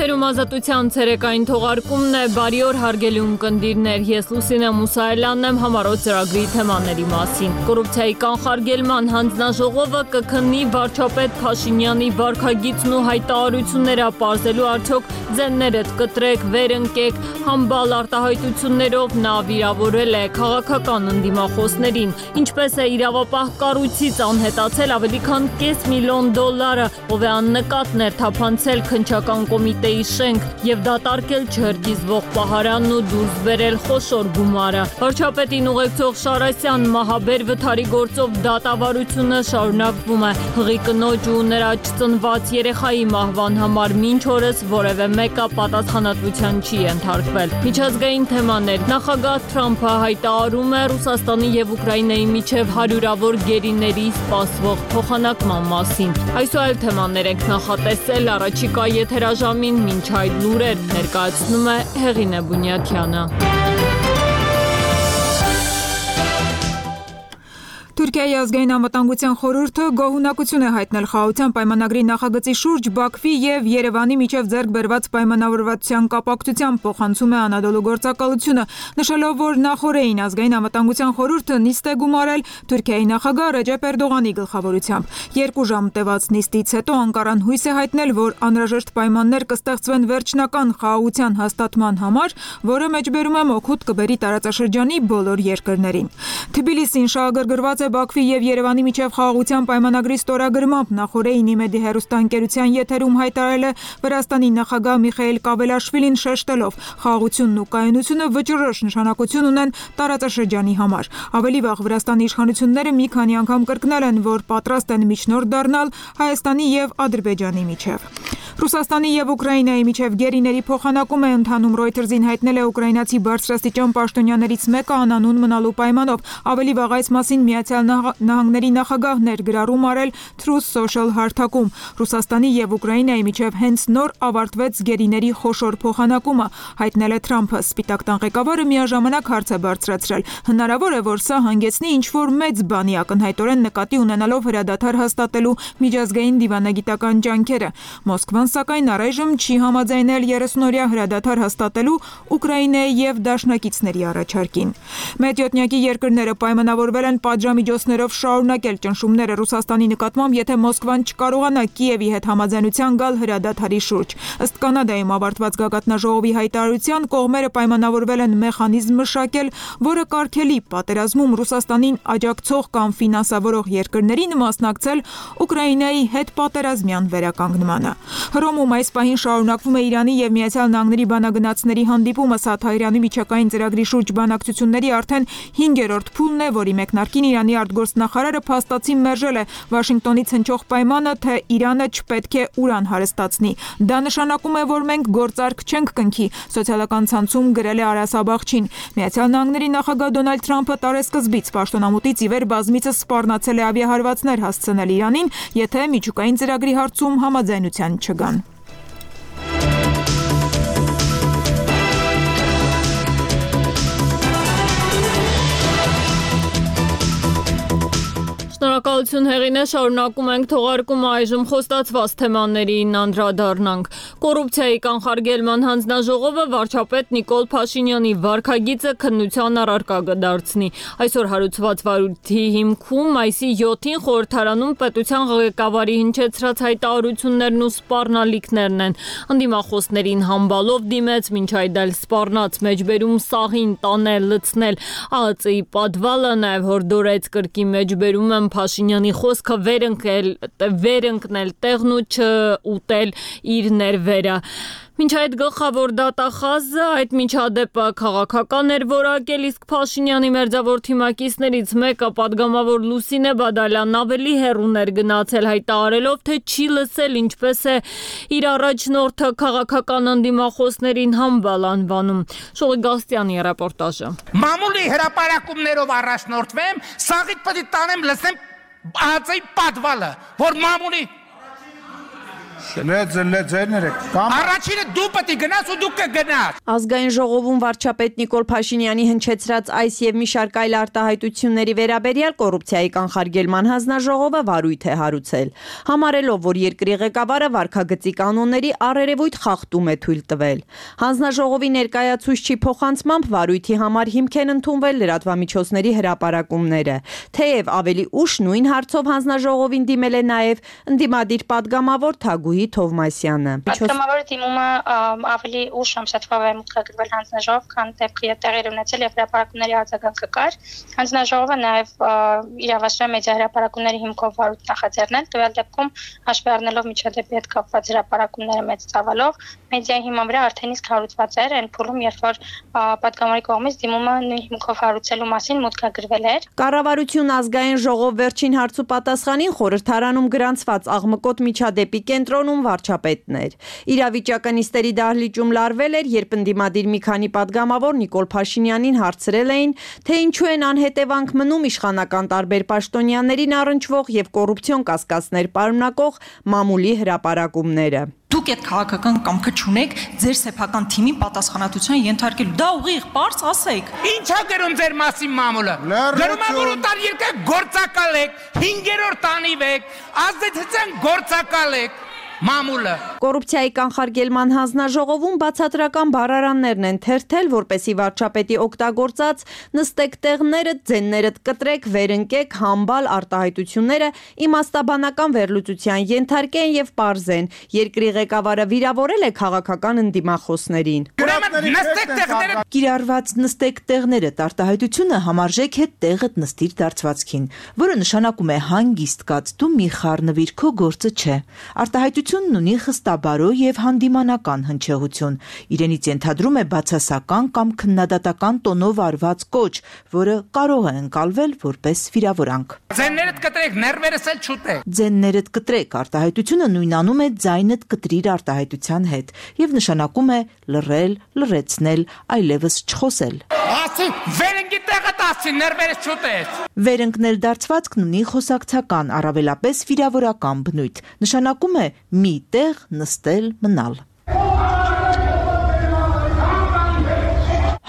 Եթերում ազատության ցերեկային թողարկումն է, բարի օր հարգելի ունկնդիրներ, ես Լուսինե Մուսայելյանն եմ համառոտ ծրագրի թեմաների մասին։ Կոռուպցիայի կանխարգելման հանձնաժողովը կքննի վարչապետ Փաշինյանի վարքագիծն ու հայտարարությունները, պարզելու արդյոք ձեններդ կտրեք, վեր ընկեք, համբալ արտահայտություններով նա վիրավորել է քաղաքական ընդդիմախոսներին, ինչպես է իրավապահ կառույցից անհետացել ավելի քան $500 միլիոն, ով է աննկատներ թափանցել քննչական կոմիտեի շենք և դատարկել չհրկիզվող պահարանն ու դուրս բերել խոշոր գումարը։ Վարչապետին ուղեկցող Շարասյան մահաբեր վթարի գործով դատավարությունը շարունակվում է։ Հղի կնոջ ու նրա չծնված երեխայի մահվան համար մինչ օրս որևէ մեկը պատասխանատվության չի ենթարկվել։ Միջազգային թեմաներ։ Նախագահ Թրամփը հայտարարում է Ռուսաստանի և Ուկրաինայի միջև հարյուրավոր գերիների սպասվող փոխանակման մասին։ Այսօր այլ թեմաներ ենք նախատեսել առաջիկա եթերաժամին, մինչ այդ լուրեր ներկայացնում է Հեղինե Բունյաթյանը։ Թուրքիայի ազգային անվտանգության խորհուրդը գոհունակություն է հայտնել խաղաղության պայմանագրի նախագծի շուրջ Բաքվի և Երևանի միջև ձեռք բերված պայմանավորվածության կապակցությամբ, փոխանցում է Անադոլու գործակալությունը, նշելով, որ նախօրեին ազգային անվտանգության խորհուրդը նիստ է գումարել Թուրքիայի նախագահ Ռեջեփ Էրդողանի գլխավորությամբ։ 2 ժամ տևած նիստից հետո Անկարան հույս է հայտնել, որ անհրաժեշտ պայմաններ կստեղծվեն վերջնական խաղաղության հաստատման համար, որը մեջբերում է օգուտ կբերի տարածաշրջանի բոլոր երկրներին։ Թբիլիսին շահագրգռված է Բաքվի և Երևանի միջև խաղաղության պայմանագրի ստորագրմամբ, նախօրեին ԻՄԵԴ-ի հեռուստաընկերության եթերում հայտարարել է Վրաստանի նախագահ Միխայիլ Կավելաշվիլին, շեշտելով խաղաղությունն ու կայունությունը վճռորոշ նշանակություն ունեն տարածաշրջանի համար։ Ավելի վաղ Վրաստանի իշխանությունները մի քանի անգամ կրկնել են, որ պատրաստ են միջնորդ դառնալ Հայաստանի և Ադրբեջանի միջև։ Ռուսաստանի և Ուկրաինայի միջև գերիների փոխանակում է ընթանում, Reuters-ին հայտնել է ուկրաինացի բարձրաստիճան պաշտոնյաներից մեկը անանուն մնալու պայմանով։ Ավելի վաղ այս մասին Միացյալ Նահանգների նախագահն էր գրառում արել Truth Social հարթակում։ Ռուսաստանի և Ուկրաինայի միջև հենց նոր ավարտվեց գերիների խոշոր փոխանակումը, հայտնել է Թրամփը։ Սպիտակ տան ղեկավարը միաժամանակ հարց է բարձրացրել. հնարավոր է, որ սա հանգեցնի ինչ-որ մեծ բանի, ակնհայտորեն նկատի ունենալով հրադադար հաստատելու միջազգային դիվանագիտական ջանքերը։ Մոսկվան սակայն առայժմ չի համաձայնել 30-օրյա հրադադար հաստատելու Ուկրաինայի և դաշնակիցների առաջարկին։ Մեծյոթնյակի երկրները պայմանավորվել են պատժամիջոցներով շարունակել ճնշումները Ռուսաստանի նկատմամբ, եթե Մոսկվան չկարողանա Կիևի հետ համաձայնության գալ հրադադարի շուրջ։ Ըստ Կանադայում ավարտված գագաթնաժողովի հայտարարության, կողմերը պայմանավորվել են մեխանիզմ մշակել, որը կարգելի պատերազմում Ռուսաստանին աջակցող կամ ֆինանսավորող երկրներին մասնակցել Ուկրաինայի հետ պատերազմյան վերականգնմանը։ Հռոմում այս պահին շարունակվում է Իրանի և Միացյալ Նահանգների բանագնացների հանդիպումը, սա Թահիրանի միջակային ծրագրի շուրջ բանակցությունների արդեն 5-րդ փուլն է, որի մեկնարկին Իրանի արտգործնախարարը փաստացի մերժել է Վաշինգտոնից հնչող պայմանը, թե Իրանը չպետք է ուրան հարստացնի։ Դա նշանակում է, որ մենք գործարք չենք կնքի, սոցիալական ցանցում գրել է Արաս Աբաղչին։ Միացյալ Նահանգների նախագահ Դոնալդ Թրամփը տարեսկզբից պաշտոնամուտից ի վեր բազմիցս սպառնացել է ավիահարվածներ հասցնել Իրանին, եթե միջուկային ծրագրի հարցում համաձայնության չգան։ Շնորհակալություն Հեղինե, շարունակում ենք թողարկումը, այժմ խոստացված թեմաներին անդրադառնանք։ Կոռուպցիայի կանխարգելման հանձնաժողովը վարչապետ Նիկոլ Փաշինյանի վարքագիծը քննության առարկա կդարձնի։ Այսօր հարուցված վարույթի հիմքում մայիսի 7-ին խորհրդարանում պետության ղեկավարի հնչեցրած հայտարարություններն ու սպառնալիքներն են։ Ընդդիմախոսներին համբալով դիմեց, մինչ այդ էլ սպառնաց մեջբերում սաղին տանել, լցնել ԱԱԾ-ի պատվալը, նաև հորդորեց կրկի մեջբերում եմ Փաշինյանի խոսքը վեր ընկնել տեղն ու չուտել իր ներվերը։ Մինչ այդ գլխավոր դատախազը այդ միջադեպը քաղաքական էր որակել, իսկ Փաշինյանի մերձավոր թիմակիցներից մեկը պատգամավոր Լուսինե Բադալյանն ավելի հեռուն էր գնացել, հայտարարելով, թե չի լսել ինչպես է իր առաջնորդը քաղաքական ընդդիմախոսներին համբալ անվանում։ Շողիկ Գալստյանի ռեպորտաժը։ Մամուլի հրապարակումներով առաջնորդվեմ, սաղիդ պետք է տանեմ լսեմ ԱԱԾ-ի պատվալը, որ մամուլի Առաջինը դու պետք է գնաս ու դու կգնաս։ Ազգային ժողովում վարչապետ Նիկոլ Փաշինյանի հնչեցրած այս եւ մի շարք այլ արտահայտությունների վերաբերյալ կոռուպցիայի կանխարգելման հանձնաժողովը վարույթ է հարուցել, համարելով, որ երկրի ղեկավարը վարքագծի կանոնների առերևույթ խախտում է թույլ տվել։ Հանձնաժողովի ներկայացուցչի փոխանցմամբ վարույթի համար հիմք են ընդունվել լրատվամիջոցների հրապարակումները, թեև ավելի ուշ նույն հարցով հանձնաժողովին դիմել է նաև ընդդիմադիր պատգամավոր Թագուհի Թովմասյանը։ Պատգամավորի դիմումը ավելի ուշ ամսաթվա մուտքագրվել հանձնաժողով, քան դեպքի տեղի ունեցել եւ հրապարակումների արձագանքը կար։ Հանձնաժողովը նաև իրավասու է մեդիա հրապարակումների հիմքով վարույթ նախաձեռնել, տվյալ դեպքում հաշվի առնելով միջադեպի հետ կապված հրապարակումները մեծ ծավալով, մեդիայի հիման վրա արդեն իսկ հարուցված էր այն փուլում, երբ որ պատգամավորի կողմից դիմումը նույն հիմքով հարուցելու մասին մուտքագրվել էր։ Կառավարություն ազգային ժողով վերջին հարցու պատասխանին խորհրդարանում գրանցված աղմկոտ միջադեպի կենտրոնում վարչապետն էր։ Իրավիճակը նիստերի դահլիճում լարվել էր, երբ ընդդիմադիր մի քանի պատգամավոր Նիկոլ Փաշինյանին հարցրել էին, թե ինչու են անհետևանք մնում իշխանական տարբեր պաշտոնյաներին առնչվող եւ կոռուպցիոն կասկածներ պարունակող մամուլի հրապարակումները։ Դուք այդ քաղաքական կամքը չունեք ձեր սեփական թիմին պատասխանատվության ենթարկելու։ Դա ուղիղ բարձ ասեք։ Ինչ է գրում ձեր մասին մամուլը։ Գրում է, որ ուտար երկը գործակալ եք, 5-րդ տանիվ եք, ազդեցության գործակալ եք։ Մամուլը Կոռուպցիայի կանխարգելման հանձնաժողովում բացատրական բառարաններն են թերթել, որպեսի վարչապետի օգտագործած նստեք տեղները, ձեններդ կտրեք, վերընկեք, համբալ արտահայտությունները իմաստաբանական վերլուծության ենթարկեն եւ պարզեն։ Երկրի ղեկավարը վիրավորել է քաղաքական ընդդիմախոսներին։ Կիրառված նստեք տեղներդ արտահայտությունը համարժեք է տեղդ նստիր դարձվածքին, որը նշանակում է հանգիստ կաց, դու մի խառնվիր, քո գործը չէ։ Արտահայտությունն ունի խստաբարո եւ հանդիմանական հնչեղություն։ Իրենից ենթադրում է բացասական կամ քննադատական տոնով արված կոչ, որը կարող է ընկալվել որպես վիրավորանք։ Ձեններդ կտրեք, ներվերս էլ չուտեք։ Ձեններդ կտրեք արտահայտությունը նույնանում է ձայնդ կտրիր արտահայտության հետ եւ նշանակում է լռել, լռեցնել, այլևս չխոսել։ Ասի, վերընկի տեղը տասի, ներվերս չուտես։ Վերընկնել դարձվածքն ունի խոսակցական, առավելապես վիրավորական բնույթ։ Նշանակում է մի տեղ նստել, մնալ։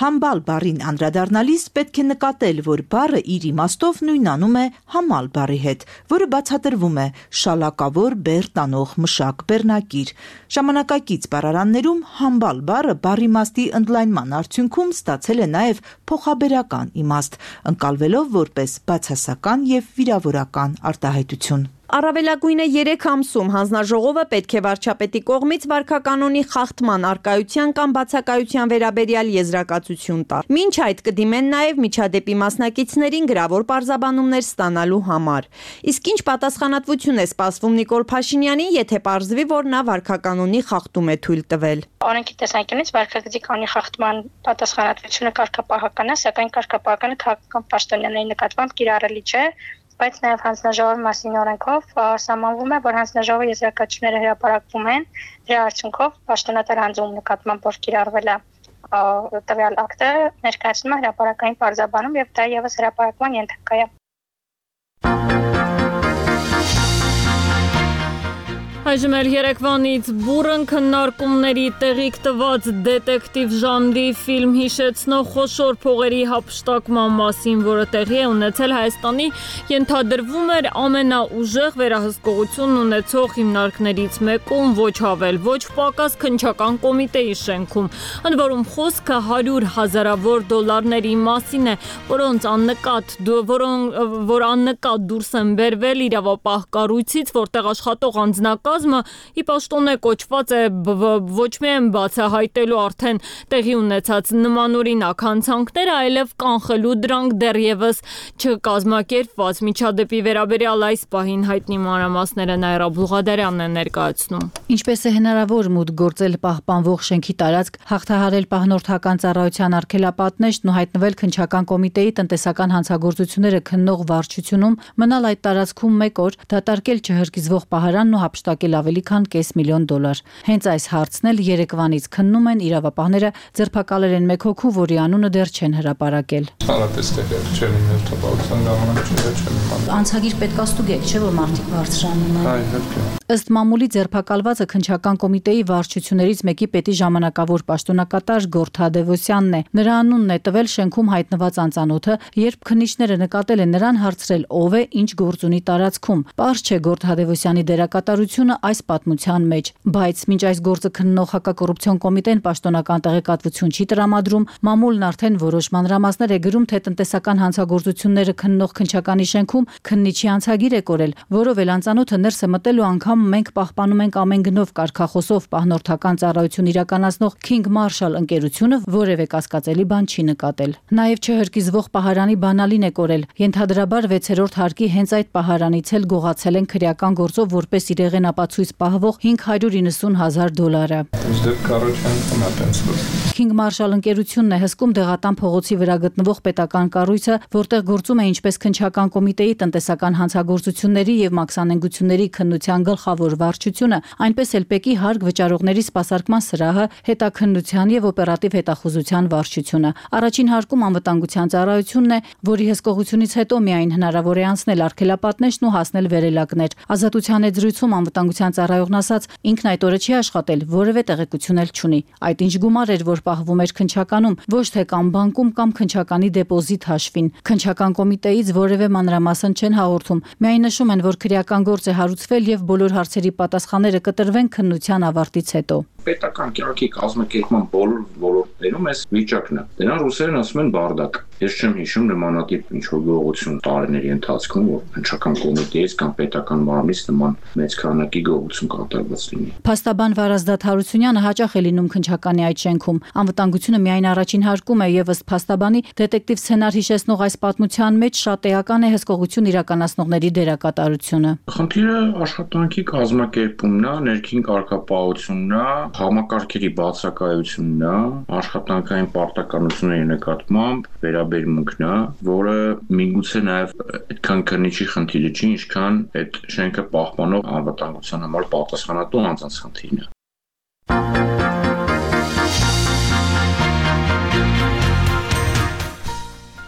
Համբալ բառին անդրադառնալիս պետք է նկատել, որ բառը իր իմաստով նույնանում է համալ բառի հետ, որը բացատրվում է շալակավոր բեռ տանող մշակ բեռնակիր։ Ժամանակակից բառարաններում համբալ բառը բառի իմաստի ընդլայնման արդյունքում ստացել է նաև փոխաբերական իմաստ, ընկալվելով որպես բացասական եւ վիրավորական արտահայտություն։ Առավելագույնը 3 ամսում հանձնաժողովը պետք է վարչապետի կողմից վարքականոնի խախտման առկայության կամ բացակայության վերաբերյալ եզրակացություն տա։ Մինչ այդ կդիմեն նաև միջադեպի մասնակիցներին գրավոր պարզաբանումներ ստանալու համար։ Իսկ ինչ պատասխանատվություն է սպասվում Նիկոլ Փաշինյանին, եթե պարզվի, որ նա վարքականոնի խախտում է թույլ տվել։ Օրենքի տեսանկյունից վարքագծի կանոնի խախտման պատասխանատվությունը կարգապահական է, սակայն կարգապահականը քաղաքական պաշտոնյաների նկատմամբ կիրառելի չէ, բայց նաև հանձնաժողովի մասին օրենքով սահմանվում է, որ հանձնաժողովի եզրակացությունները հրապարակվում են, դրա արդյունքով պաշտոնատար հանձնում նկատմամբ որ կիրառվել է տվյալ ակտը ներկայացնում է հրապարակային պարզաբանում եւ դա եւս հրապարակման ենթակա է։ Այժմ էլ երեկվանից բուրըն քննարկումների տեղիք տված դետեկտիվ ժանրի ֆիլմ հիշեցնող խոշոր փողերի հափշտակման մասին, որը տեղի է ունեցել Հայաստանի ենթադրվում էր ամենաուժեղ վերահսկողություն ունեցող հիմնարկներից մեկում, ոչ ավել, ոչ պակաս քննչական կոմիտեի շենքում, ընդ որում խոսքը 100,000-ավոր դոլարների մասին է, որոնց աննկատ դուրս են բերվել իրավապահ կառույցից, որտեղ աշխատող անձնակազմը ի պաշտոն է կոչված է ոչ միայն բացահայտելու արդեն տեղի ունեցած նմանօրինակ հանցանքները, այլև կանխելու դրանք դեռևս չկազմակերպված։ Միջադեպի վերաբերյալ այս պահին հայտնի մանրամասները Նաիրա Բուլղադարյանն է ներկայացնում։ Ինչպես է հնարավոր մուտք գործել պահպանվող շենքի տարածք, հաղթահարել պահնորդական ծառայության արգելապատնեշտն ու հայտնվել քննչական կոմիտեի տնտեսական հանցագործությունները քննող վարչությունում, մնալ այդ տարածքում 1 օր, դատարկել չհրկիզվող պահարանն ու հափշտակել կորցրել ավելի քան $500,000։ Հենց այս հարցն էլ երեկվանից քննում են իրավապահները, ձերբակալել են մեկ հոգու, որի անունը դեռ չեն հրապարակել։ Անցագիր պետք է ստուգեք, չէ՞ որ մարդիկ բարձրանում են։ Ըստ մամուլի ձերբակալվածը քննչական կոմիտեի վարչություններից մեկի պետի ժամանակավոր պաշտոնակատար Գորթ Թադևոսյանն է։ Նրա անունն է տվել շենքում հայտնված անծանոթը, երբ քննիչները նկատել են նրան, հարցրել ով է, ինչ գործ ունի տարածքում։ Պարզ չէ Գորթ Թադևոսյանի դերակատարությունը այս պատմության մեջ, բայց մինչ այս գործը քննող հակակոռուպցիոն կոմիտեն պաշտոնական տեղեկատվություն չի տրամադրում, մամուլն արդեն որոշ մանրամասներ է գրում, թե տնտեսական հանցագործությունները քննող քննչականի շենքում քննիչի անցագիր է կորել, որով էլ անծանոթը ներս է մտել ու անգամ մենք պահպանում ենք ամեն գնով կարգախոսով պահնորդական ծառայություն իրականացնող King Marshall ընկերությունը որևէ կասկածելի բան չի նկատել։ Նաև չհրկիզվող պահարանի բանալին է կորել։ Ենթադրաբար 6-րդ հարկի հենց այդ պահարանից էլ գողացել են քրեական գործով որպես իրեղեն ապացույց պահվող $590,000։ King Marshall ընկերությունն է հսկում Դեղատան փողոցի վրա գտնվող պետական կառույցը, որտեղ գործում է ինչպես քննչական կոմիտեի տնտեսական հանցագործությունների եւ մաքսանենգությունների քննության գլխավոր վարչությունը, այնպես էլ ՊԵԿ-ի հարկ վճարողների սպասարկման սրահը, հետաքննության եւ օպերատիվ հետախուզության վարչությունը։ Առաջին հարկում անվտանգության ծառայությունն է, որի հսկողությունից հետո միայն հնարավոր է անցնել արգելապատնեշն ու հասնել վերելակներ։ Ազատության զրույցում անվտանգության ծառայողն ասաց, ինքն այդ օրը չի աշխատել, որևէ տեղեկություն էլ չունի։ Այդ ինչ գումար էր, որ պահվում էր քննչականում, ոչ թե կամ բանկում կամ քննչականի դեպոզիտ հաշվին։ Քննչական կոմիտեից որևէ մանրամասն չեն հաղորդում։ Միայն նշում են, որ քրեական գործ է հարուցվել եւ բոլոր հարցերի պատասխանները կտրվեն քննության ավարտից հետո։ Պետական կյանքի կազմակերպման բոլոր ոլորտներում այս վիճակն է։ Դրանք ռուսերեն ասում են բարդակ։ Ես չեմ հիշում նմանատիպ ինչ-որ գողություն տարիների ընթացքում, որ քննչական կոմիտեից կամ պետական մարմնից նման մեծ քանակի գողություն կատարված լինի։ Փաստաբան Վարազդատ Հարությունյանը հաճախ է լինում քննչականի այդ շենքում։ Անվտանգությունը միայն առաջին հարկում է եւ ըստ փաստաբանի դետեկտիվ սցենար հիշեցնող այս պատմության մեջ շատ էական է հսկողություն իրականացնողների դերակատարությունը։ Խնդիրը աշխատանքի կազմակերպումն է, ներքին կարգապահությունն է, համակարգերի բացակայությունն է, աշխատանքային պարտականությունների նկատմամբ վերաբերմունքն է, որը միգուցե նաև այդքան քննիչի խնդիրը չի, ինչքան այդ շենքը պահպանող անվտանգության համար պատասխանատու անձանց խնդիրն է։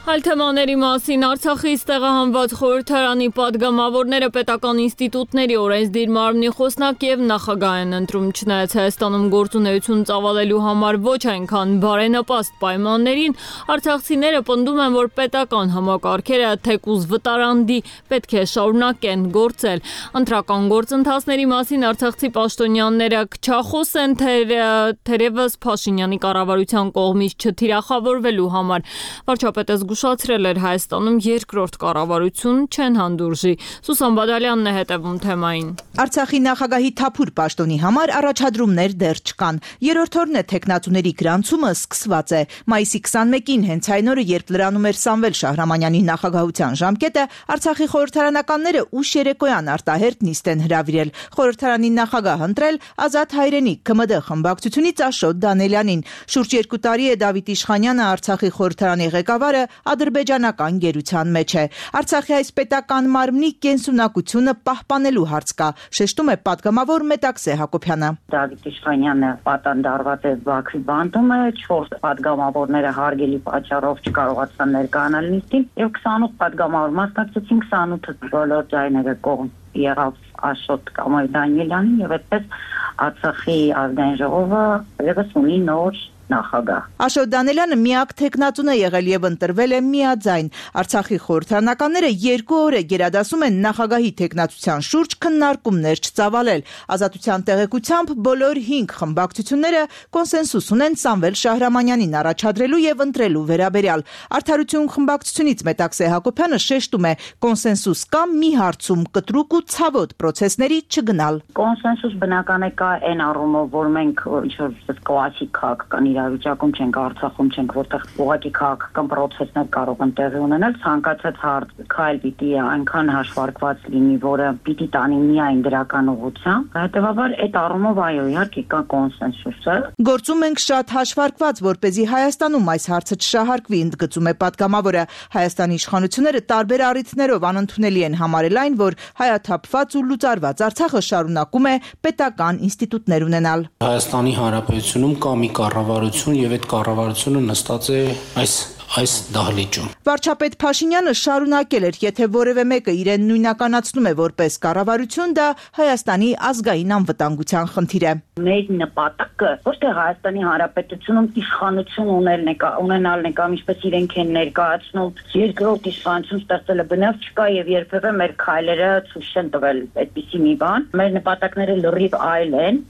Այլ թեմաների մասին Արցախից տեղահանված խորհրդարանի պատգամավորները պետական ինստիտուտների օրենսդիր մարմնի խոսնակ եւ նախագահ են ընտրում, չնայած Հայաստանում գործունեություն ծավալելու համար ոչ այնքան բարենպաստ պայմաններին, արցախցիները պնդում են, որ պետական համակարգերը թեկուզ վտարանդի պետք է շարունակեն գործել։ Ընտրական գործընթացների մասին արցախցի պաշտոնյաները քչախոս են, թերևս Փաշինյանի կառավարության կողմից չթիրախավորվելու համար։ Վարչապետը զգուշացրել էր Հայաստանում երկրորդ կառավարություն չեն հանդուրժի։ Սուսան Բադալյանն է հետևում թեմային։ Արցախի նախագահի թափուր պաշտոնի համար առաջադրումներ դեռ չկան։ Երրորդ օրն է թեկնածուների գրանցումը սկսված է։ Մայիսի 21-ին հենց այն օրը, երբ լրանում էր Սամվել Շահրամանյանի նախագահության ժամկետը, Արցախի խորհրդարանականները ուշ երեկոյան արտահերտ նիստ են հրավիրել։ Խորհրդարանի նախագահ ընտրել Ազատ Հայրենիք ԿՄԴ խմբակցությունից Աշոտ Դանելյանին։ Շուրջ 2 տարի է Դավիթ Իշխանյանը Արցախի խորհրդարանի ղեկավարը ադրբեջանական գերության մեջ է։ Արցախի այս պետական մարմնի կենսունակությունը պահպանելու հարց կա, շեշտում է պատգամավոր Մետաքսե Հակոբյանը։ Դավիթ Իշխանյանը պատանդարված է Բաքվի բանտումը, 4 պատգամավորները հարգելի պատճառով չկարողացան ներկայանալ նիստին եւ 28 պատգամավոր մասնակցեցին, 28-ը բոլոր ձայները կողմ եղավ Աշոտ կամ Դանիելյանին եւ այդպես Արցախի ազգային ժողովը եւս ունի նոր նախագահ։ Աշոտ Դանելյանը միակ թեկնածուն է եղել եւ ընտրվել է միաձայն։ Արցախի խորհրդարանականները 2 օր է գերադասում են նախագահի թեկնածության շուրջ քննարկումներ չծավալել։ Ազատության տեղեկությամբ բոլոր 5 խմբակցությունները կոնսենսուս ունեն Սամվել Շահրամանյանին առաջադրելու եւ ընտրելու վերաբերյալ։ Արդարություն խմբակցությունից Մետաքսե Հակոբյանը շեշտում է, կոնսենսուս կա մի հարցում՝ կտրուկ ու ցավոտ պրոցեսների չգնալ։ Կոնսենսուս բնական է կա այն առումով, որ մենք ինչ-որ կլասիկ քաղաքական իրավիճակում չենք, Արցախում չենք, որտեղ ուղղակի քաղաքական process-ներ կարող են տեղի ունենալ, ցանկացած հարց քայլ պիտի այնքան հաշվարկված լինի, որը պիտի տանի միայն դրական ուղղությամբ։ Հետևաբար այդ առումով այո, իհարկե կա կոնսենսուսը։ Գործում ենք շատ հաշվարկված, որպեսզի Հայաստանում այս հարցը չշահարկվի, ընդգծում է պատգամավորը։ Հայաստանի իշխանությունները տարբեր առիթներով անընդունելի են համարել այն, որ հայաթափված ու լուծարված Արցախը շարունակում է պետական ինստիտուտներ ունենալ։ Հայաստանի Հանրապետությունում կա մի կառավարություն եւ այդ կառավարությունը նստած է այս դահլիճում։ Վարչապետ Փաշինյանը շարունակել էր, եթե որևէ մեկը իրեն նույնականացնում է որպես կառավարություն, դա Հայաստանի ազգային անվտանգության խնդիր է։ Մեր նպատակը ոչ թե Հայաստանի Հանրապետությունում իշխանություն ունենալն է կամ ինչպես իրենք են ներկայացնում, երկրորդ իշխանություն ստեղծելը բնավ չկա եւ երբևէ մեր քայլերը ցույց չեն տվել այդպիսի մի բան։ Մեր նպատակները լրիվ այլ են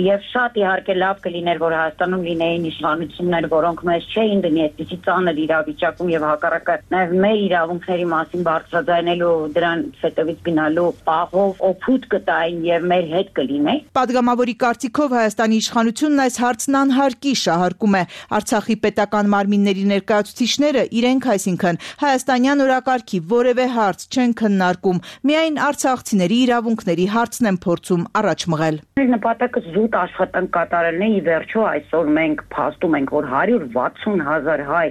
եւ շատ իհարկե լավ կլիներ, որ Հայաստանում լինեին իշխանություններ, որոնք մեզ չէին դնի այդպիսի ծանր իրավիճակում եւ հակառակը նաեւ մեր իրավունքների մասին բարձրաձայնելու դրանց հետևից գնալու պահով օգուտ կտային եւ մեր հետ կլինեին։ Պատգամավորի կարծիքով Հայաստանի իշխանությունն այս հարցն անհարկի շահարկում է։ Արցախի պետական մարմինների ներկայացուցիչները իրենք, այսինքն հայաստանյան օրակարգի որևէ հարց չեն քննարկում, միայն արցախցիների իրավունքների հարցն են փորձում առաջ մղել։ Մեր նպատակը զուտ աշխատանք կատարելն է, ի վերջո այսօր մենք փաստում ենք, որ 160,000 հայ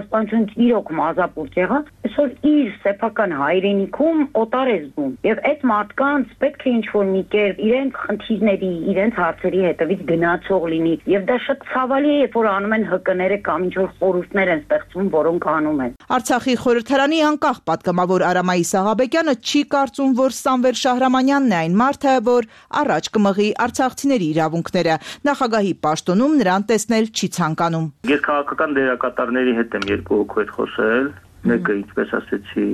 ցեղասպանությունից իրոք մազապուրտ եղավ, այսօր իր սեփական հայրենիքում օտար է զգում եւ այդ մարդկանց պետք է ինչ-որ մի կերպ իրենց խնդիրների, իրենց հարցերի հետևից գնացող լինի եւ դա շատ ցավալի է, որ անում են ՀԿ-ները կամ ինչ-որ խորհուրդներ են ստեղծվում, որոնք անում են։ Արցախի խորհրդարանի անկախ պատգամավոր Արամայիս Աղաբեկյանը չի կարծում, որ Սամվել Շահրամանյանն է այն մարդը, որ առաջ կմղի արցախցիների իրավունքները։ Նախագահի պաշտոնում նրան տեսնել չի ցանկանում։ Ես քաղաքական դերակատարների հետ եմ երկու հոգու հետ խոսել, մեկը ինչպես ասեցի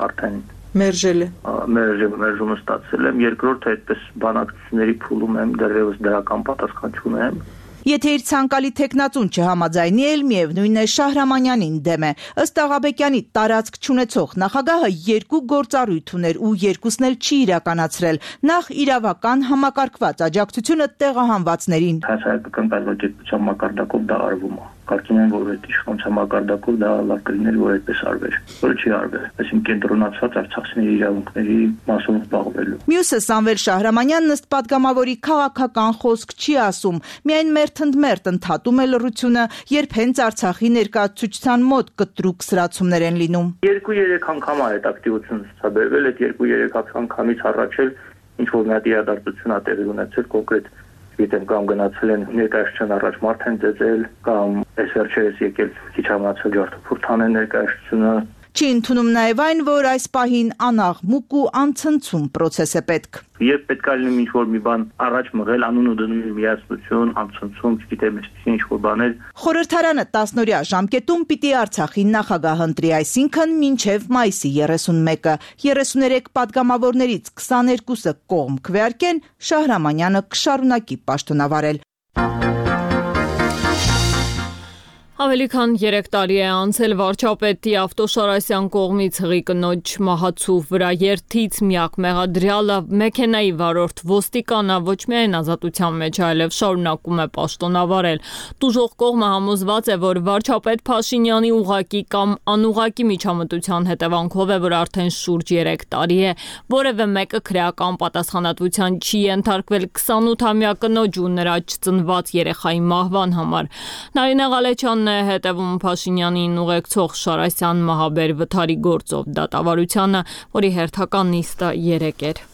արդեն մերժել է։ Մերժումը ստացել եմ, երկրորդը այդպես բանակցությունների փուլում եմ, դեռևս դրական պատասխան չունեմ։ Եթե իր ցանկալի տեխնացուն չհամաձայնի էլ միևնույն է Շահրամանյանին դեմ է։ Ըստ Աղաբեկյանի տարածք չունեցող նախագահը երկու գործառույթ ուներ ու երկուսն էլ չի իրականացրել։ Նախ իրավական համակարգված աջակցությունը տեղահանվածներին։ Հասարակական կազմակերպության մակարդակով դա արվում է։ Կարծում եմ, որ այդ իշխանության մակարդակով դա լավ կլիներ, որ այդպես արվեր, որը չի արվել, այսինքն կենտրոնացված արցախցիների իրավունքների մասով զբաղվելու։ Մյուսը Սամվել Շահրամանյանն ըստ պատգամավորի քաղաքական խոսք չի ասում, միայն մերթընդմերթ ընդհատում է լռությունը, երբ հենց Արցախի ներկայացուցչության մոտ կտրուկ սրացումներ են լինում։ 2-3 անգամ է այդ ակտիվությունը ցուցաբերվել, այդ 2-3 անգամից առաջ էլ ինչ որ մի հատ իրադարձություն ա տեղի ունեցել կոնկրետ Գիտեմ կամ գնացել են ներկայացության առաջ մարդ են ծեծել կամ այս վերջերս եկել քիչ համացել ջարդափուրթան են ներկայացությունը։ Չի ընդունում նաև այն, որ այս պահին անաղմուկ ու անցնցում պրոցես է պետք։ Եվ պետք է լինի ինչ-որ մի բան առաջ մղել, անուն ու դնում միասնություն, անցնցում, չգիտեմ, ինչ-որ բաներ։ Խորհրդարանը 10-օրյա ժամկետում պիտի Արցախի նախագահ ընտրի, այսինքն մինչև մայիսի 31-ը։ 33 պատգամավորներից 22-ը կողմ քվեարկեն, Շահրամանյանը կշարունակի պաշտոնավարել։ Ավելի քան 3 տարի է անցել վարչապետի Ավտոշարասյան կողմից հղի կնոջ մահացու վրա երթից միակ մեղադրյալը մեքենայի վարորդ ոստիկանը ոչ միայն ազատության մեջ, այլև շարունակում է պաշտոնավարել։ Տուժող կողմը համոզված է, որ վարչապետ Փաշինյանի ուղղակի կամ անուղղակի միջամտության հետևանքով է, որ արդեն շուրջ 3 տարի է որևէ մեկը քրեական պատասխանատվության չի ենթարկվել 28-ամյա կնոջ ու նրա չծնված երեխայի մահվան համար։ Նարինե Ղալեչյանն է հետևում Փաշինյանին ուղեկցող Շարասյան մահաբեր վթարի գործով դատավարությանը, որի հերթական նիստը 3 էր։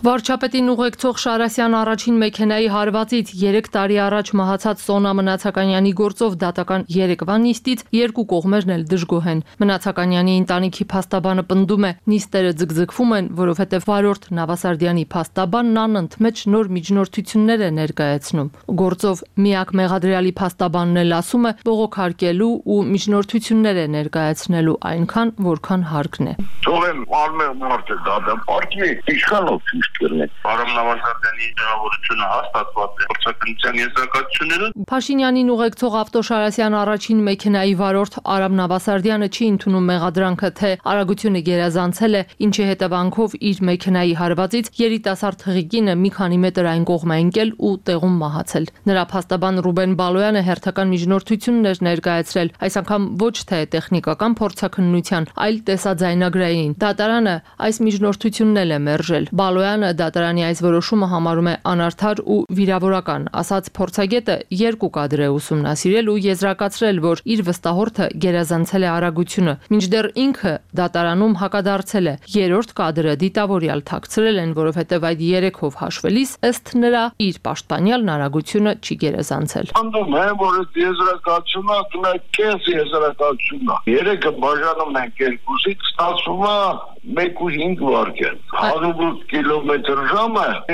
Վարչապետին ուղեկցող Շարասյան առաջին մեքենայի հարվածից 3 տարի առաջ մահացած Սոնա Մնացականյանի գործով դատական 3-վա նիստից երկու կողմերն էլ դժգոհ են։ Մնացականյանի ընտանիքի փաստաբանը պնդում է, նիստերը ձգձգվում են, որովհետև վարորդ Նավասարդյանի փաստաբանն անընդմեջ նոր միջնորդություններ է ներկայացնում։ Գործով միակ մեղադրյալի փաստաբանն էլ ասում է, բողոքարկելու ու միջնորդություններ է ներկայացնելու այնքան, որքան հարկն է։ Թողեն արմեղ մարդ է դա պարտվի իշխանով ճիշտ կրնեն։ Արամ Նավասարդյանի հաղորդությունը հաստատված է փորձակնության եզրակացությունները։ Փաշինյանին ուղեկցող Ավտոշարասյան առաջին մեքենայի վարորդ Արամ Նավասարդյանը չի ընդունում մեղադրանքը, թե արագությունը գերազանցել է, ինչի հետևանքով իր մեքենայի հարվածից երիտասարդ թղիկինը մի քանի մետր այն կողմ է ընկել ու տեղում մահացել։ Նրա փաստաբան Ռուբեն Բալոյանը հերթական միջնորդություններ ներկայացրել, այս անգամ ոչ թե տեխնիկական փորձաքննության, այլ տեսաձայնագրային։ Դատարանը այս միջնորդությունն էլ է մերժել։ Բալոյանը դատարանի այս որոշումը համարում է անարդար ու վիրավորական, ասաց փորձագետը երկու կադր է ուսումնասիրել ու եզրակացրել, որ իր վստահորդը գերազանցել է արագությունը, մինչդեռ ինքը դատարանում հակադարձել է։ Երրորդ կադրը դիտավորյալ թաքցրել են, որովհետև այդ երեքով հաշվելիս ըստ նրա իր պաշտպանյալն արագությունը չի գերազանցել։ Անդում է, որ եզրակացությունը կնայքես եզրակացությունը։ Երեքը բաժանում են երկուսից, ստացվում է 1.5 վայրկյան։ 108 կմ/ժ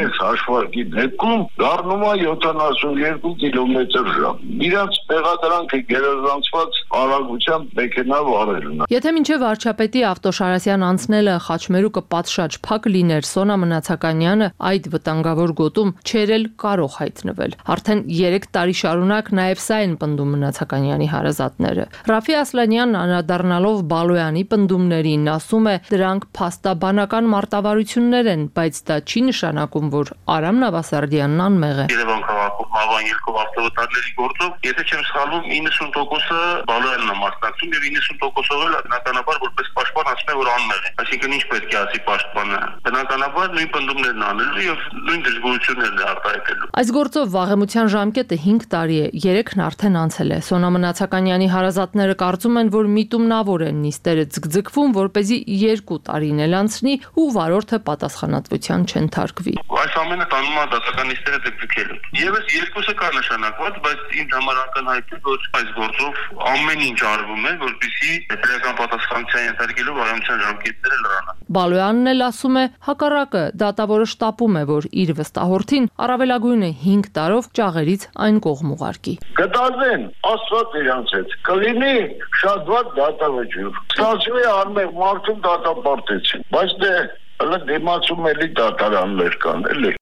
այս հաշվարկի դեպքում դառնում է 72 կմ/ժ։ Իրանց մեղադրանքը գերազանցված արագությամբ մեքենա վարելն է։ Եթե մինչև վարչապետի Ավտոշարասյան անցնելը խաչմերուկը պատշաճ փակ լիներ, Սոնա Մնացականյանը այդ վտանգավոր գոտում չէր էլ կարող հայտնվել։ Արդեն 3 տարի շարունակ նաև սա են պնդում Մնացականյանի հարազատները։ Ռաֆի Ասլանյանն անդրադառնալով Բալոյանի պնդումներին ասում է, դրանք փաստաբանական մարտավարություններ են, բայց դա չի նշանակում, որ Արամ Նավասարդյանն անմեղ է։ Երևան քաղաքում մահվան ելքով ավտովթարների գործով, եթե չեմ սխալվում, 90%-ը Բալոյանն է մասնակցում եւ 90%-ով էլ բնականաբար որպես պաշտպան ասում է, որ անմեղ է։ Այսինքն ինչ պետք է ասի պաշտպանը։ Բնականաբար նույն պնդումներն անելու եւ նույն դժգոհություններն է արտահայտելու։ Այս գործով վաղեմության ժամկետը 5 տարի է, 3-ն արդեն անցել է։ Սոնա Մնացականյանի հարազատները կարծում են, որ միտումնավոր են նիստերը ձգձգվում, որպեսզի 2 տարին էլ անցնի ու վարորդը պատասխանատվության չընթարկվի։ Այս ամենը տանում է դասական նիստերը ձգձգելու։ Եվս երկուսը կա նշանակված, բայց ինձ համար ակնհայտ է, որ այս գործով ամեն ինչ արվում է, որպեսզի պետական պատասխանատվության ենթարկելու վարամության ժամկետները լրանան։ Բալոյանն էլ ասում է, հակառակը, դատավորը շտապում է, որ իր վստահորդին առավելագույնը 5 տարով ճաղերից այն կողմ ուղարկի։ Կդազեն, Աստված իրանց հետ, կլինի շատ վատ դատավճիռ։ Ստացվում է անմեղ մարդուն դատապարտեցին, բայց դե հələ դիմացում էլի դատարաններ կան, էլի։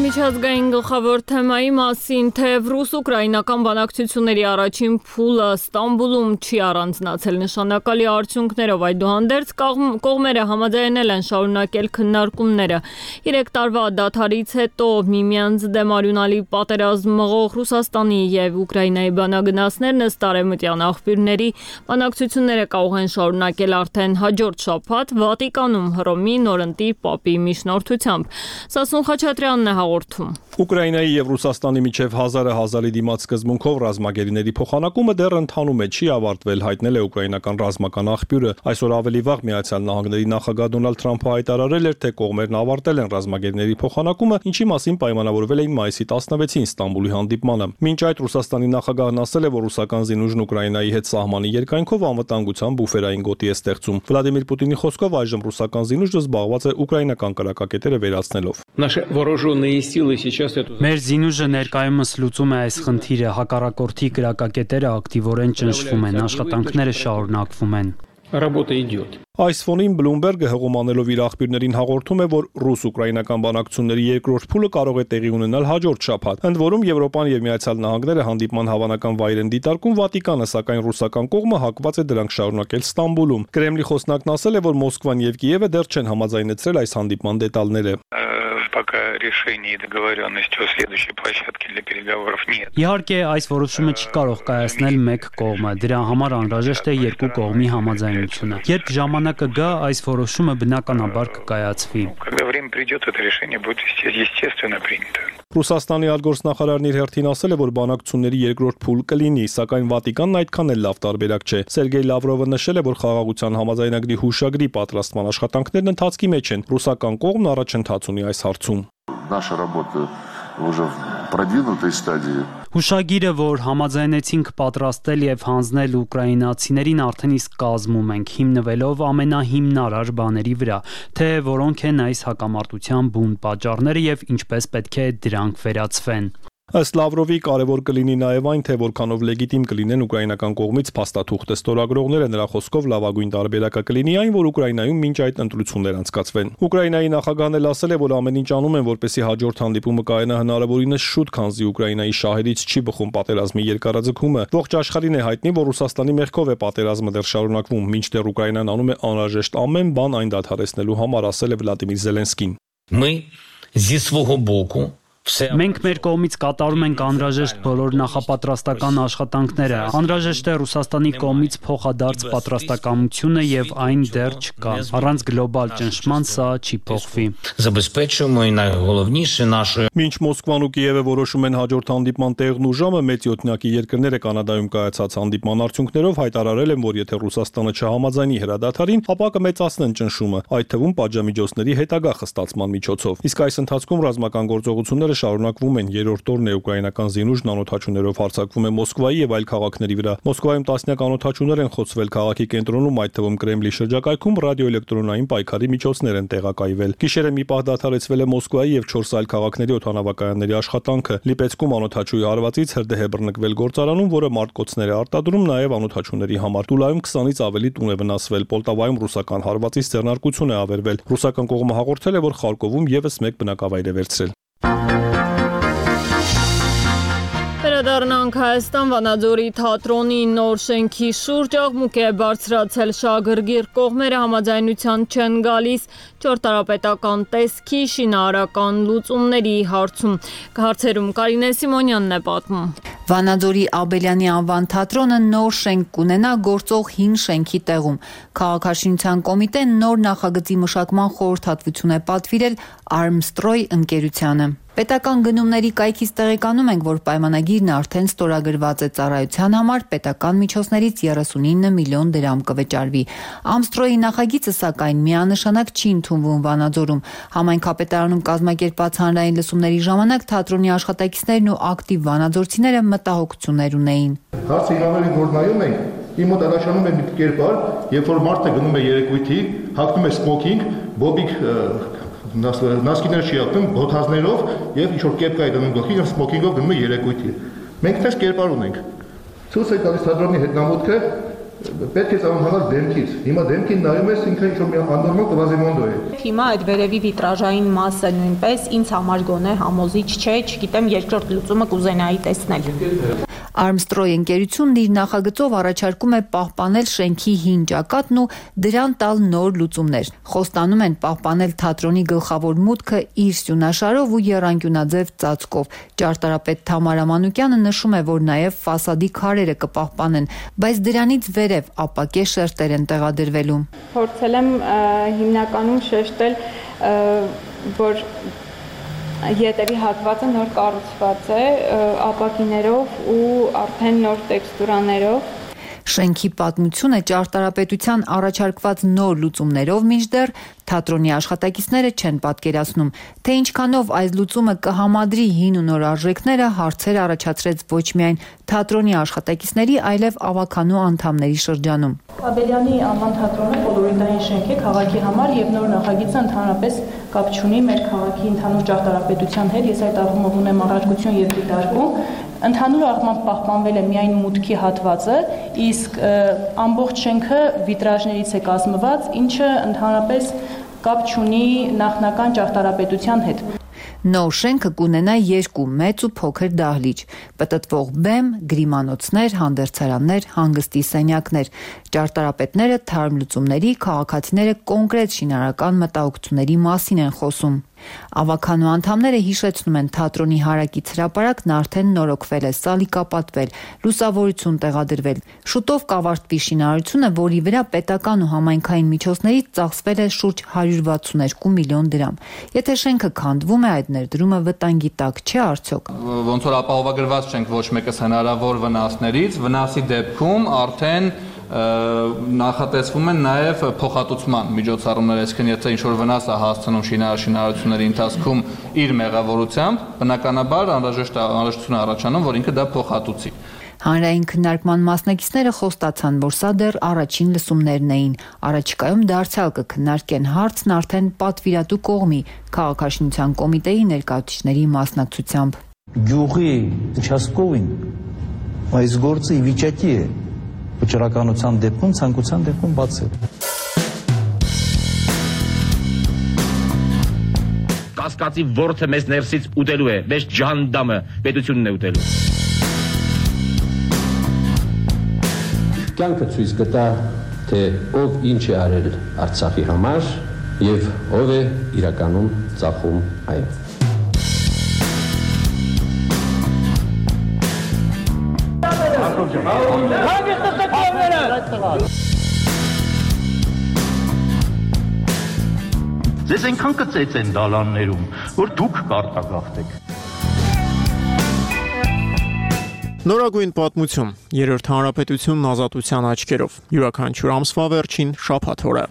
Միջազգային գլխավոր թեմայի մասին, թեև ռուս-ուկրաինական բանակցությունների առաջին փուլը Ստամբուլում չի առանձնացել նշանակալի արդյունքներով, այդուհանդերձ կողմերը համաձայնել են շարունակել քննարկումները։ 3 տարվա դադարից հետո միմյանց դեմ արյունալի պատերազմ մղող Ռուսաստանի եւ Ուկրաինայի բանագնացներն ըստ արևմտյան աղբյուրների բանակցությունները կարող են շարունակել արդեն հաջորդ շաբաթ Վատիկանում Հռոմի նորընտիր պապի միջնորդությամբ։ Սասուն Խաչատրյանն է հաղորդում։ Ուկրաինայի եւ Ռուսաստանի միջև 1000-ի դիմաց սկզբունքով ռազմագերիների փոխանակումը դեռ ընթանում է, չի ավարտվել, հայտնել է ուկրաինական ռազմական աղբյուրը։ Այսօր ավելի վաղ Միացյալ Նահանգների նախագահ Դոնալդ Թրամփը հայտարարել էր, թե կողմերն ավարտել են ռազմագերիների փոխանակումը, ինչի մասին պայմանավորվել էին մայիսի 16-ին Ստամբուլի հանդիպմանը։ Մինչ այդ Ռուսաստանի նախագահն ասել է, որ ռուսական զինուժն Ուկրաինայի հետ սահմանի երկայնքով անվտանգության բուֆերային գոտի է ստեղծում։ Վլադիմիր Պուտինի խոսքով այժմ ռուսական զինուժը զբաղված է ուկրաինական կրակակետերը վերացնելով։ Մեր զինուժը ներկայումս լուծում է այս խնդիրը, հակառակորդի կրակակետերը ակտիվորեն ճնշվում են, աշխատանքները շարունակվում են։ Այս ֆոնին Բլումբերգը հղումանելով իր աղբյուրներին հաղորդում է, որ ռուս-ուկրաինական բանակցությունների երկրորդ փուլը կարող է տեղի ունենալ հաջորդ շաբաթ։ Ընդ որում Եվրոպան եւ Միացյալ Նահանգները հանդիպման հավանական վայր են դիտարկում Վատիկանը, սակայն ռուսական կողմը հակված է դրանք շարունակել Ստամբուլում։ Կրեմլի խոսնակն ասել է, որ Մոսկվան եւ Կիևը դեռ չեն համաձայնեցրել այս հանդիպման դետալները։ Իհարկե, այս որոշումը չի կարող կայացնել մեկ կողմը, դրա համար անհրաժեշտ է երկու կողմի համաձայնությունը։ Երբ ժամանակը գա, այս որոշումը բնականաբար կկայացվի։ Ռուսաստանի արտգործնախարարն իր հերթին ասել է, որ բանակցությունների երկրորդ փուլ կլինի, սակայն Վատիկանն այդքան էլ լավ տարբերակ չէ։ Սերգեյ Լավրովը նշել է, որ խաղաղության համաձայնագրի հուշագրի պատրաստման աշխատանքներն ընթացքի մեջ են։ Ռուսական կողմն առաջընթաց ունի այս հարցում։ Հուշագիրը, որ համաձայնեցինք պատրաստել եւ հանձնել ուկրաինացիներին, արդեն իսկ կազմում ենք, հիմնվելով ամենահիմնարար բաների վրա, թե որոնք են այս հակամարտության բուն պատճառները եւ ինչպես պետք է դրանք վերացվեն։ Ըստ Լավրովի կարևոր կլինի նաև այն, թե որքանով լեգիտիմ կլինեն ուկրաինական կողմից փաստաթուղթը ստորագրողները, նրա խոսքով լավագույն տարբերակը կլինի այն, որ Ուկրաինայում մինչ այդ ընտրություններ անցկացվեն։ Ուկրաինայի նախագահն էլ ասել է, որ ամեն ինչ անում են, որպեսզի հաջորդ հանդիպումը կայանա հնարավորինս շուտ, քանզի Ուկրաինայի շահերից չի բխում պատերազմի երկարաձգումը։ Ողջ աշխարհին է հայտնի, որ Ռուսաստանի մեղքով է պատերազմը դեռ շարունակվում, մինչդեռ Ուկրաինան անում է անհրաժեշտ ամեն բան այն դադարեցնելու համար, ասել է Վլադիմիր Զելենսկին։ Зі свого боку Մենք մեր կողմից կատարում ենք անհրաժեշտ բոլոր նախապատրաստական աշխատանքները։ Անհրաժեշտ է Ռուսաստանի կողմից փոխադարձ պատրաստակամությունը եւ այն դեռ չկա։ Առանց գլոբալ ճնշման սա չի փոխվի։ Մինչ Մոսկվան ու Կիևը որոշում են հաջորդ հանդիպման տեղն ու ժամը, մեծ յոթնյակի երկրները Կանադայում կայացած հանդիպման արդյունքներով հայտարարել են, որ եթե Ռուսաստանը չհամաձայնի հրադադարին, ապա կմեծացնեն ճնշումը, այդ թվում պատժամիջոցների հետագա խստացման միջոցով։ Իսկ այս ընթացքում ռազմական գործողությունները շարունակվում են, երրորդ օրն է ուկրաինական զինուժն անօդաչուներով հարձակվում է Մոսկվայի եւ այլ քաղաքների վրա։ Մոսկվայում տասնյակ անօդաչուներ են խոցվել քաղաքի կենտրոնում, այդ թվում Կրեմլի շրջակայքում ռադիոէլեկտրոնային պայքարի միջոցներ են տեղակայվել։ Գիշերը մի պահ դադարեցվել է Մոսկվայի եւ 4 այլ քաղաքների օդանավակայանների աշխատանքը։ Լիպեցկում անօդաչուի հարվածից հրդեհ է բռնկվել գործարանում, որը մարտկոցներ է արտադրում նաեւ անօդաչուների համար։ Տուլայում 20-ից ավելի տուն է վնասվել։ Պոլտավայում ռուսական հարվածից ձեռնարկություն է ավերվել։ Ռուսական կողմը հաղորդել է, որ Խարկովում եւս մեկ բնակավայր է վերցրել։ Վերադառնանք Հայաստան, Վանաձորի թատրոնի նոր շենքի շուրջ աղմուկ է բարձրացել, շահագրգիռ կողմերը համաձայնության չեն գալիս ճարտարապետական տեսքի շինարարական լուծումների հարցում։ Հարցերում Կարինե Սիմոնյանն է պատմում։ Վանաձորի Աբելյանի անվան թատրոնը նոր շենք կունենա գործող հին շենքի տեղում։ Քաղաքաշինության կոմիտեն նոր նախագծի մշակման խորհրդատվություն է պատվիրել Armstrong ընկերությանը։ Պետական գնումների կայքից տեղեկանում ենք, որ պայմանագիրն արդեն ստորագրված է ծառայության համար պետական միջոցներից 39 միլիոն դրամ կվճարվի։ Armstrong-ի նախագիծը սակայն միանշանակ չի ընդունվում Վանաձորում։ Համայնքապետարանում կազմակերպված հանրային լսումների ժամանակ թատրոնի աշխատակիցներն ու ակտիվ վանաձորցիները մտահոգություններ ունեին։ Հարցը իրավունքին որ նայում ենք, իմ մոտ առաջանում է մի կերպար, երբ որ մարդը գնում է երեկույթի, հագնում է սմոքինգ, բոբիկ նասկիներ չի ակտում բոթազներով եւ ինչ որ կեպկա է դնում գլխին եւ սմոքինգով գնում է երեկույթի։ Մենք դες կերպար ունենք։ Ցույց է տալիս թատրոնի հետնամուտքը պետք է ծանոթանալ դեմքից։ Հիմա դեմքին նայում ես ինքը ինչ որ մի աննորմալ կվազիմոնդո է։ Հիմա այդ վերևի վիտրաժային մասը նույնպես ինձ համար գոնե համոզիչ չէ, չգիտեմ երկրորդ լուծումը կուզենայի տեսնել։ Armstrong ընկերությունն իր նախագծով առաջարկում է պահպանել շենքի հին ճակատն ու դրան տալ նոր լուծումներ։ Խոստանում են պահպանել թատրոնի գլխավոր մուտքը իր սյունաշարով ու եռանկյունաձև ծածկով։ Ճարտարապետ Թամարա Մանուկյանը նշում է, որ նաև ֆասադի քարերը կպահպանեն, բայց դրանից վերև ապակե շերտեր են տեղադրվելու։ Փորձել եմ հիմնականում շեշտել, որ Ետևի հատվածը նոր կառուցված է ապակիներով ու արդեն նոր տեքստուրաներով։ Շենքի պատմությունը ճարտարապետության առաջարկված նոր լուծումներով մինչդեռ թատրոնի աշխատակիցները չեն պատկերացնում, թե ինչքանով այս լուծումը կհամադրի հին ու նոր արժեքները հարցեր առաջացրեց ոչ միայն թատրոնի աշխատակիցների, այլև ավականու անդամների շրջանում։ Աբելյանի անվան թատրոնը կոլորիտային շենք է քաղաքի համար եւ նոր նախագիծը ընդհանրապես կապ չունի մեր քաղաքի ընդհանուր ճարտարապետության հետ։ Ես այդ առումով ունեմ առարկություն եւ դիտարկում։ Ընդհանուր առմամբ պահպանվել է միայն մուտքի հատվածը, իսկ ամբողջ շենքը վիտրաժներից է կազմված, ինչը ընդհանրապես կապ չունի նախնական ճարտարապետության հետ։ Նոր շենքը կունենա 2 մեծ ու փոքր դահլիճ, պտտվող բեմ, գրիմանոցներ, հանդերձարաններ, հանգստի սենյակներ։ Ճարտարապետները թարմ լուծումների, քաղաքացիները կոնկրետ շինարարական մտահոգությունների մասին են խոսում։ Ավականու անդամները հիշեցնում են թատրոնի հարակից հրապարակն արդեն նորոգվել է, սալիկապատվել, լուսավորություն տեղադրվել։ Շուտով կավարտվի շինարարությունը, որի վրա պետական ու համայնքային միջոցներից ծախսվել է շուրջ 162 միլիոն դրամ։ Եթե շենքը քանդվում է, այդ ներդրումը վտանգի տակ չէ արդյոք։ Ոնց որ ապահովագրված չենք ոչ մեկս հնարավոր վնասներից, վնասի դեպքում արդեն նախատեսվում են նաև փոխհատուցման միջոցառումներ, այսինքն եթե ինչ-որ վնաս է հասցնում շինարարությունների ընթացքում իր մեղավորությամբ, բնականաբար անհրաժեշտություն առաջանում, որ ինքը դա փոխհատուցի։ Հանրային քննարկման մասնակիցները խոստացան, որ սա դեռ առաջին լսումներն էին։ Առաջիկայում դարձյալ կքննարկեն հարցն արդեն պատվիրատու կողմի քաղաքաշինության կոմիտեի ներկայացուցիչների մասնակցությամբ։ գյուղի участковին այս գործը ի վիճակի է վճռականության դեպքում, ցանկության դեպքում բացել։ Կասկածի ворթը մեզ ներսից ուտելու է, մեզ ջանդամը պետությունն է ուտելու։ Կյանքը ցույց կտա, թե ով ինչ է արել Արցախի համար եւ ով է իրականում ծախում այն։ Ձեզ այնքան կծեց են դալաններում, որ դուք կարտագաղթեք։ Նորագույն պատմություն, երրորդ հանրապետությունն ազատության աչքերով, յուրաքանչյուր ամսվա վերջին շաբաթ օրը։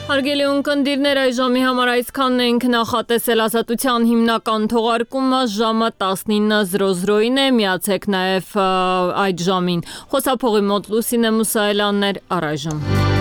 Հարգելի ունկնդիրներ, այժմի համար այսքանն ենք նախատեսել ազատության հիմնական թողարկումը ժամը 19:00-ին է, միացեք նաև այդ ժամին։ Խոսափողի մոտ Լուսինե Մուսայելյանն էր, առայժմ։